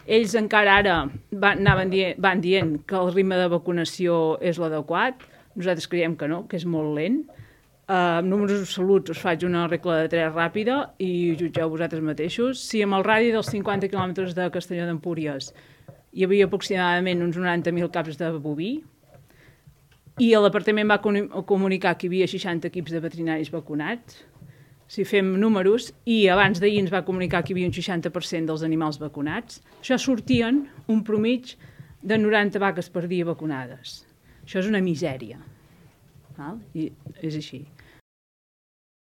Ells encara ara van dient que el ritme de vacunació és l'adequat. Nosaltres creiem que no, que és molt lent. Amb números absoluts us faig una regla de 3 ràpida i jutgeu vosaltres mateixos. Si amb el radi dels 50 quilòmetres de Castelló d'Empúries hi havia aproximadament uns 90.000 caps de boví i l'apartament va comunicar que hi havia 60 equips de veterinaris vacunats, si fem números, i abans d'ahir ens va comunicar que hi havia un 60% dels animals vacunats, això sortien un promig de 90 vaques per dia vacunades. Això és una misèria. I és així.